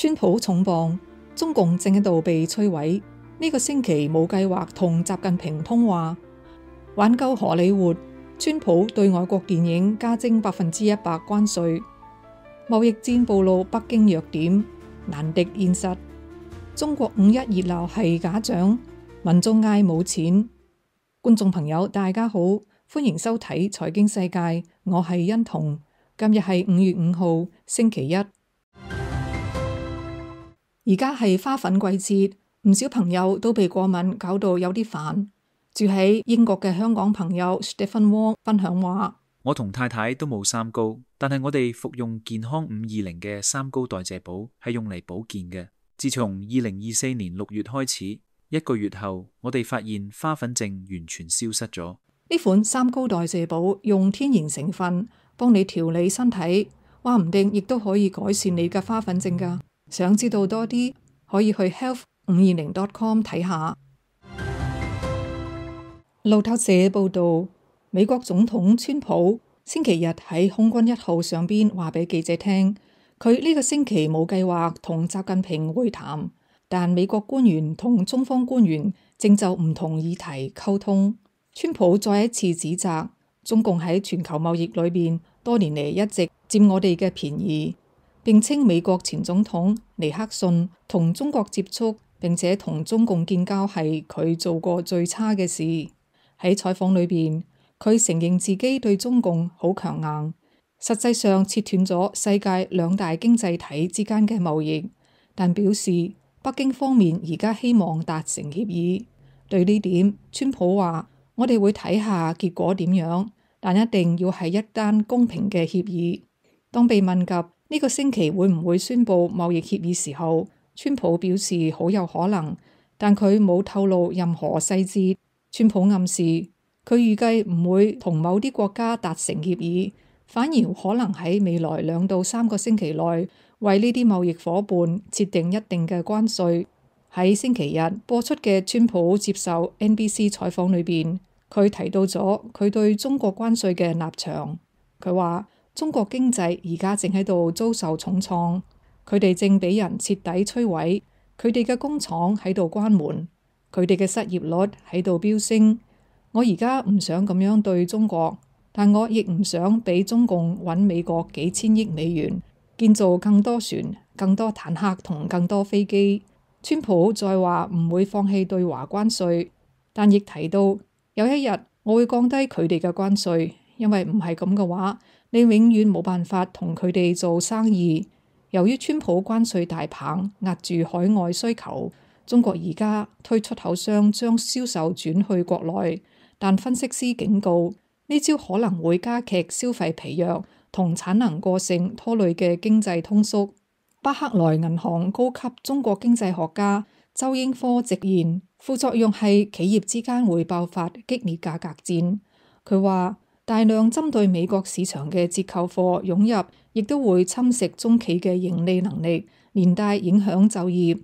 川普重磅，中共正喺度被摧毀。呢個星期冇計劃同習近平通話。挽救荷里活，川普對外國電影加徵100%關稅。貿易戰暴露北京弱點，難敵現實。中國5·1熱鬧係假象，民眾嗌冇錢。觀眾朋友大家好，歡迎收睇財經世界，我係欣彤。今日係5月5號星期一。而家係花粉季節，唔少朋友都被過敏搞到有啲煩。住喺英國嘅香港朋友 Stephen Wong 分享話：我同太太都冇三高，但係我哋服用健康520嘅三高代謝寶係用嚟保健嘅。自從2024年6月開始，1個月後，我哋發現花粉症完全消失咗。呢款三高代謝寶用天然成分幫你調理身體，話唔定亦都可以改善你嘅花粉症㗎。想知道多啲，可以去 health520.com 睇下。路透社報道，美國總統川普星期日喺空軍1號上邊話俾記者聽，佢呢個星期冇計劃同習近平會談，但美國官員同中方官員正就唔同議題溝通。川普再一次指責中共喺全球貿易裏邊多年嚟一直佔我哋嘅便宜，並稱美國前總統尼克遜同中國接觸並且同中共建交係佢做過最差嘅事。喺採訪裏邊，佢承認自己對中共好強硬，實際上切斷咗世界2大經濟體之間嘅貿易，但表示北京方面而家希望達成協議。對呢點，川普話：我哋會睇下結果點樣，但一定要係一單公平嘅協議。當被問及呢個星期會唔會宣布貿易協議時候，川普表示好有可能，但佢冇透露任何細節。川普暗示佢預計唔會同某啲國家達成協議，反而可能喺未來2到3個星期內為呢啲貿易夥伴設定一定嘅關稅。喺星期日播出嘅川普接受 NBC 採訪裏邊，佢提到咗佢對中國關稅嘅立場。佢話中國經濟而家正喺度遭受重創，佢哋正俾人徹底摧毀，佢哋嘅工廠喺度關門，佢哋嘅失業率喺度飆升。我而家唔想咁樣對中國，但我亦唔想俾中共搵美國幾千億美元建造更多船、更多坦克同更多飛機。川普再話唔會放棄對華關稅，但亦提到有一日我會降低佢哋嘅關稅，因為唔係咁嘅話，你永遠冇辦法同佢哋做生意。由於川普關稅大棒壓住海外需求，中國而家推出口商將銷售轉去國內，但分析師警告呢招可能會加劇消費疲弱同產能過剩拖累嘅經濟通縮。巴克萊銀行高級中國經濟學家周英科直言，副作用係企業之間會爆發激烈價格戰。佢話大量針對美國市場嘅折扣貨湧入，亦都會侵蝕中企嘅盈利能力，連帶影響就業。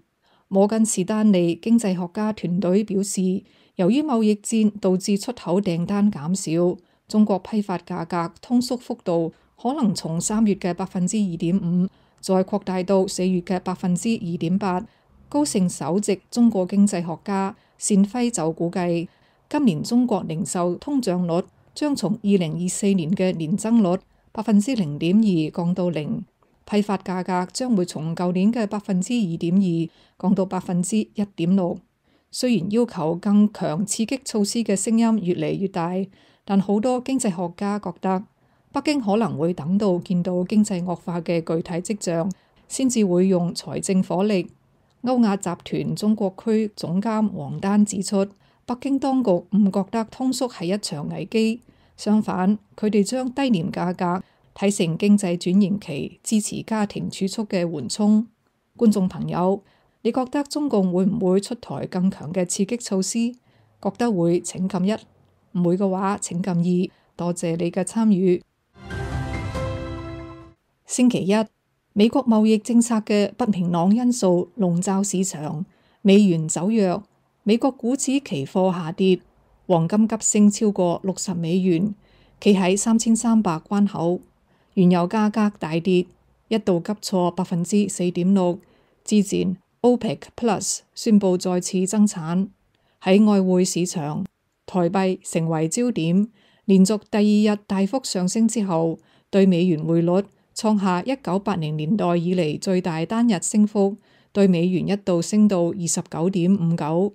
摩根士丹利經濟學家團隊表示，由於貿易戰導致出口訂單減少，中國批發價格通縮幅度可能從3月嘅2.5%再擴大到4月嘅2.8%。高盛首席中國經濟學家單輝就估計，今年中國零售通脹率將從2024年嘅年增率0.2%降到0%。批發價格將會從舊年嘅2.2%降到1.6%。雖然要求更強刺激措施嘅聲音越嚟越大，但好多經濟學家覺得北京可能會等到見到經濟惡化嘅具體跡象，先至會用財政火力。歐亞集團中國區總監王丹指出，北京當局唔覺得通縮係一場危機，相反，佢哋將低廉價格睇成經濟轉型期支持家庭儲蓄嘅緩衝。觀眾朋友，你覺得中共會唔會出台更強嘅刺激措施？覺得會請撳1，唔會嘅話請撳2。多謝你嘅參與。星期一，美國貿易政策嘅不明朗因素籠罩市場，美元走弱，美國股指期貨下跌，黃金急升超過60美元，企喺3300關口。原油價格大跌，一度急挫4.6%，之前 OPEC Plus 宣布再次增產。喺外匯市場，台幣成為焦點，連續第二日大幅上升之後，對美元匯率創下1980年代以嚟最大單日升幅，對美元一度升到29.59。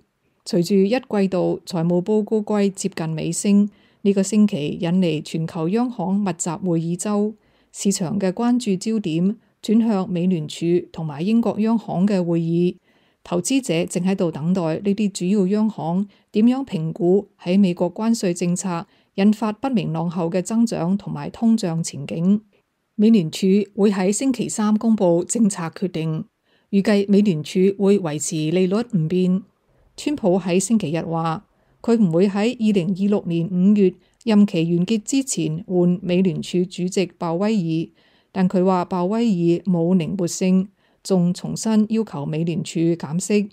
隨住一季度財務報告季接近尾聲，呢個星期引嚟全球央行密集會議週，市場嘅關注焦點轉向美聯儲同埋英國央行嘅會議。投資者正喺度等待呢啲主要央行點樣評估喺美國關稅政策引發不明朗後嘅增長同埋通脹前景。美聯儲會喺星期三公布政策決定，預計美聯儲會維持利率唔變。川普喺星期日話，佢唔會喺2026年5月任期完結之前換美聯儲主席鮑威爾，但佢話鮑威爾冇靈活性，仲重新要求美聯儲減息。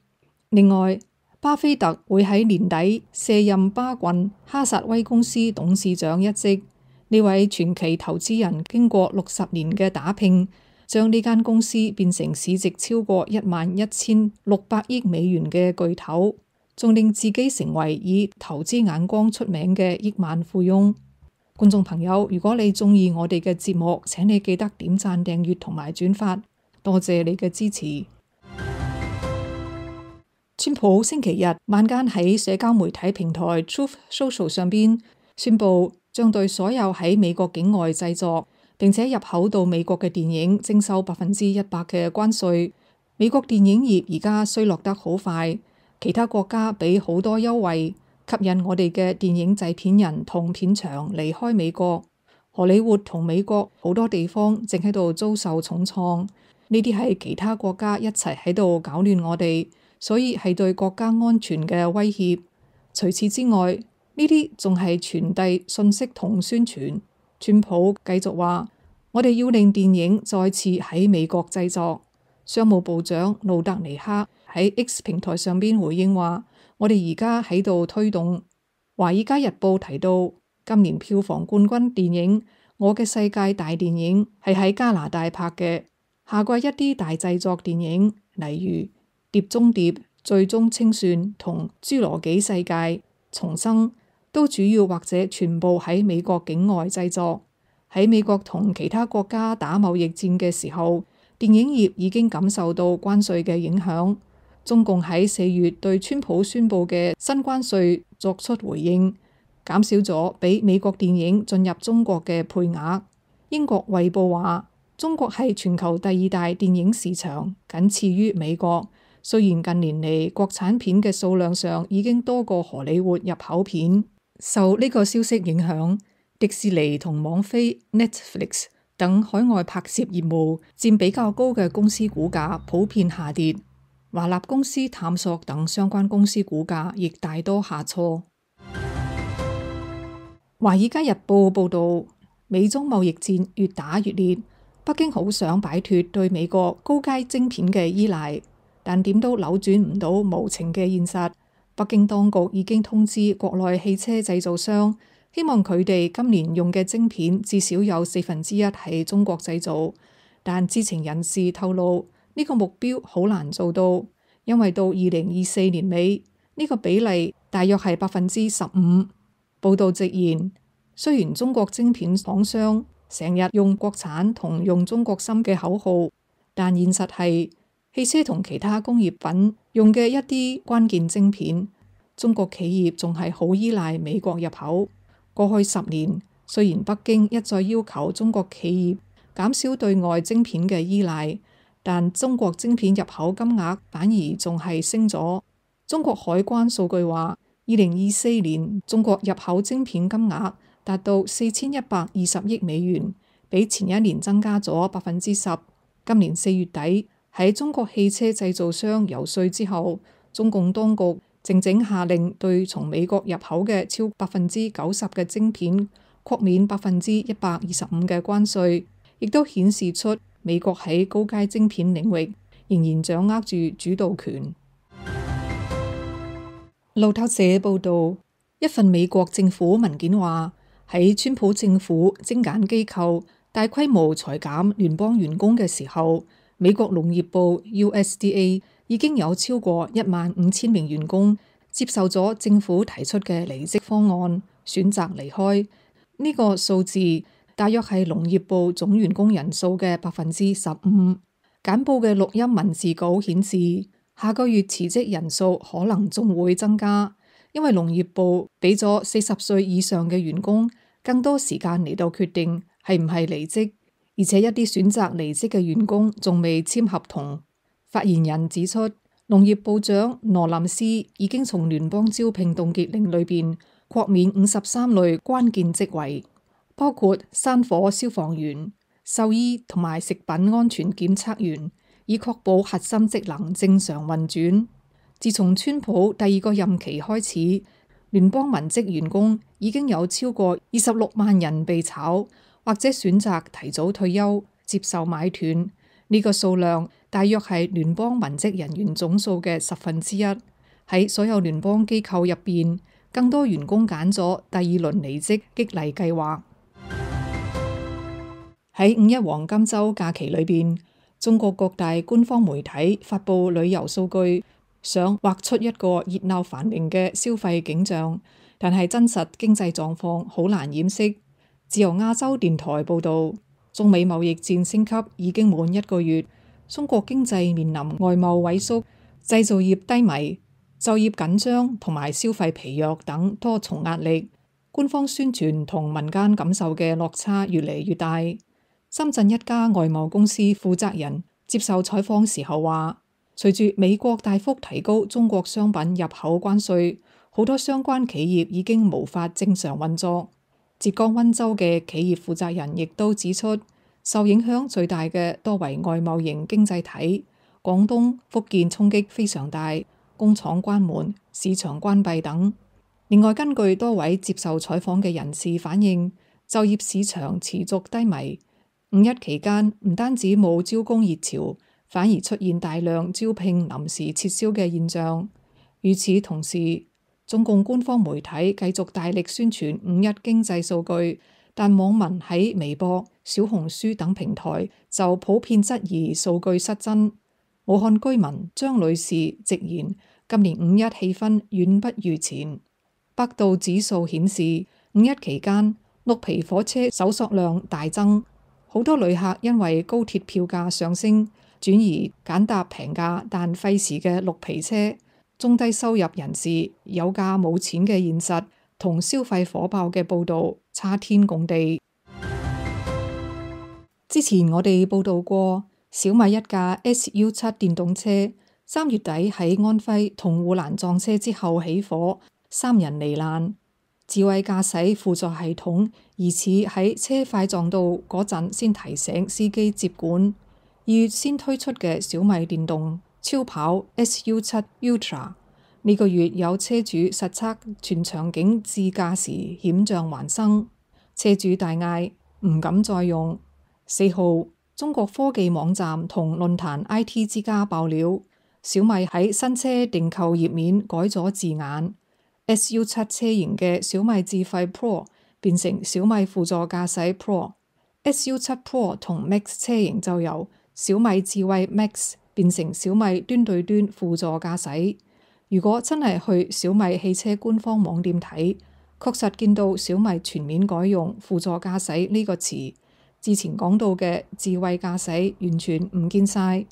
另外，巴菲特會喺年底卸任巴郡哈薩威公司董事長一職。呢位傳奇投資人經過60年嘅打拼，將呢間公司變成市值超過11,600億美元嘅巨頭，仲令自己成為以投資眼光出名嘅億萬富翁。觀眾朋友，如果你中意我哋嘅節目，請你記得點讚、訂閱同埋轉發，多謝你嘅支持。川普星期日晚間喺社交媒體平台 Truth Social 上邊宣布，將對所有喺美國境外製作並且入口到美國嘅電影徵收100%嘅關稅。美國電影業而家衰落得好快，其他國家俾好多優惠，吸引我哋嘅電影製片人同片場離開美國。荷里活同美國好多地方正喺度遭受重創，呢啲係其他國家一齊喺度搞亂我哋，所以係對國家安全嘅威脅。除此之外，呢啲仲係傳遞信息同宣傳。川普繼續話，我哋要令電影再次喺美國製作。商務部長路德尼克喺 X 平台上邊回應話，我哋而家喺度推動。華爾街日報提到，今年票房冠軍電影《我嘅世界大電影》係喺加拿大拍嘅。下季一啲大製作電影，例如《碟中諜》、《最終清算》同《侏羅紀世界重生》，都主要或者全部喺美國境外製作。喺美國同其他國家打貿易戰嘅時候，電影業已經感受到關稅嘅影響。中共喺4月對川普宣布嘅新關稅作出回應，減少咗俾美國電影進入中國嘅配額。英國《衛報》話，中國係全球第2大電影市場，僅次於美國。雖然近年嚟國產片嘅數量上已經多過荷里活入口片。受呢個消息影響，迪士尼同網飛 Netflix 等海外拍攝業務佔比較高嘅公司股價普遍下跌。華納公司探索等相關公司股價亦大多下挫。華爾街日報報道，美中貿易戰越打越烈，北京好想擺脫對美國高階晶片嘅依賴，但點都扭轉唔到無情嘅現實。北京當局已經通知國內汽車製造商，希望佢哋今年用嘅晶片至少有1/4係中國製造，但知情人士透露，呢個目標好難做到，因為到2024年尾，呢個比例大約係15%。報道直言，雖然中國晶片廠商成日用國產同用中國芯嘅口號，但現實係汽車同其他工業品用嘅一啲關鍵晶片，中國企業仲係好依賴美國入口。過去10年，雖然北京一再要求中國企業減少對外晶片嘅依賴，但中國晶片入口金額反而仲係升咗。中國海關數據話，2024年中國入口晶片金額達到4120億美元，比前一年增加咗10%。今年4月底，喺中國汽車製造商遊說之後，中共當局靜靜下令對從美國入口嘅超90%嘅晶片豁免125%嘅關稅，亦都顯示出美國喺高階晶片領域仍然掌握住主導權。路透社報道，一份美國政府文件話，喺川普政府精簡機構大規模裁減聯邦員工嘅時候，美國農業部 USDA 已經有超過15000名員工接受咗政府提出嘅離職方案，選擇離開。呢個數字大約係農業部總員工人數嘅15%。簡報嘅錄音文字稿顯示，下個月辭職人數可能仲會增加，因為農業部俾咗40歲以上嘅員工更多時間嚟到決定係唔係離職，而且一啲選擇離職嘅員工仲未簽合同。發言人指出，農業部長羅林斯已經從聯邦招聘凍結令裏邊豁免53類關鍵職位，包括山火消防員、獸醫同埋食品安全檢測員，以確保核心職能正常運轉。自從川普第二個任期開始，聯邦文職員工已經有超過26萬人被炒，或者選擇提早退休，接受買斷。呢個數量大約係聯邦文職人員總數嘅1/10。喺所有聯邦機構入邊，更多員工揀咗第二輪離職激勵計劃。喺5·1黃金週假期裏邊，中國各大官方媒體發布旅遊數據，想畫出一個熱鬧繁榮嘅消費景象，但係真實經濟狀況好難掩飾。自由亞洲電台報導，中美貿易戰升級已經滿1個月，中國經濟面臨外貿萎縮、製造業低迷、就業緊張同埋消費疲弱等多重壓力，官方宣傳同民間感受嘅落差越嚟越大。深圳一家外貿公司負責人接受採訪時候話，隨住美國大幅提高中國商品入口關稅，好多相關企業已經無法正常運作。浙江溫州嘅企業負責人亦都指出，受影響最大嘅多為外貿型經濟體，廣東、福建衝擊非常大，工廠關門、市場關閉等。另外，根據多位接受採訪嘅人士反映，就業市場持續低迷。5·1期間唔單止冇招工熱潮，反而出現大量招聘臨時撤銷嘅現象。與此同時，中共官方媒體繼續大力宣傳5·1經濟數據，但網民喺微博、小紅書等平台就普遍質疑數據失真。武漢居民張女士直言，今年5·1氣氛遠不如前。百度指數顯示，5·1期間綠皮火車搜索量大增。好多旅客因為高鐵票價上升，轉而揀搭平價但費時嘅綠皮車。中低收入人士有價冇錢嘅現實同消費火爆嘅報導差天共地。之前我哋報導過，小米一架 SU7 電動車3月底喺安徽同護欄撞車之後起火，3人罹難。智慧駕駛輔助系統疑似喺車快撞到嗰陣先提醒司機接管。2月先推出嘅小米電動超跑 SU7 Ultra， 呢個月有車主實測全場景自駕時險象環生，車主大嗌唔敢再用。4號，中國科技網站同論壇 IT 之家爆料，小米喺新車訂購頁面改咗字眼。SU7 車型嘅小米智慧 Pro 變成小米輔助駕駛 Pro，SU7 Pro 同 Max 車型就由小米智慧 Max 變成小米端對端輔助駕駛。如果真係去小米汽車官方網店睇，確實見到小米全面改用輔助駕駛呢個詞，之前講到嘅智慧駕駛完全唔見晒。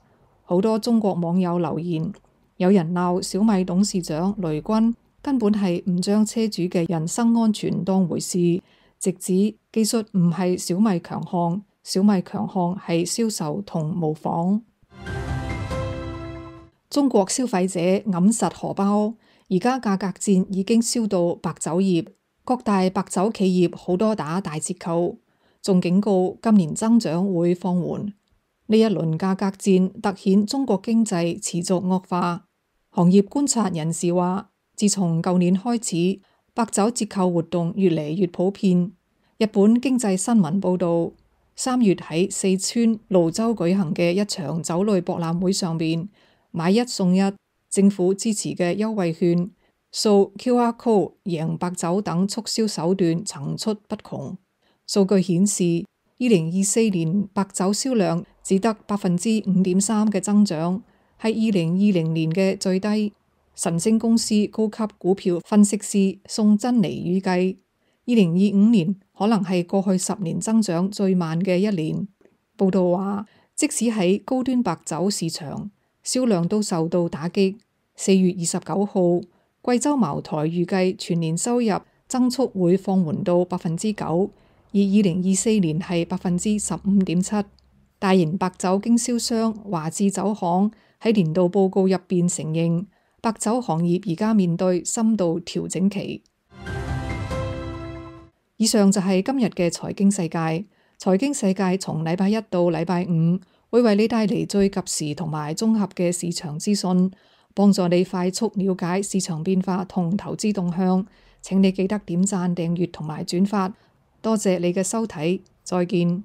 好多中國網友留言，有人鬧小米董事長雷軍根本係唔將車主嘅人身安全當回事，直指技術唔係小米強項，小米強項係銷售同模仿。中國消費者揞實荷包，而家價格戰已經燒到白酒業，各大白酒企業好多打大折扣，仲警告今年增長會放緩。呢一輪價格戰凸顯中國經濟持續惡化。行業觀察人士話，自從舊年開始，白酒折扣活動越嚟越普遍。日本經濟新聞報導，3月喺四川瀘州舉行嘅一場酒類博覽會上邊，買一送一，政府支持嘅優惠券、掃 QR Code 贏白酒等促銷手段層出不窮。數據顯示， 2024年白酒銷量只得5.3%嘅增長，係2020年嘅最低。晨星公司高級股票分析師宋珍妮預計，2025年可能係過去10年增長最慢嘅一年。報道話，即使喺高端白酒市場，銷量都受到打擊。4月29號，貴州茅台預計全年收入增速會放緩到9%，而2024年係15.7%。大型白酒經銷商華智酒行喺年度報告入邊承認，白酒行業而家面對深度調整期。以上就係今日嘅財經世界。財經世界從禮拜一到禮拜五會為你帶嚟最及時同埋綜合嘅市場資訊，幫助你快速了解市場變化同投資動向。請你記得點讚、訂閱同埋轉發。多謝你嘅收睇，再見。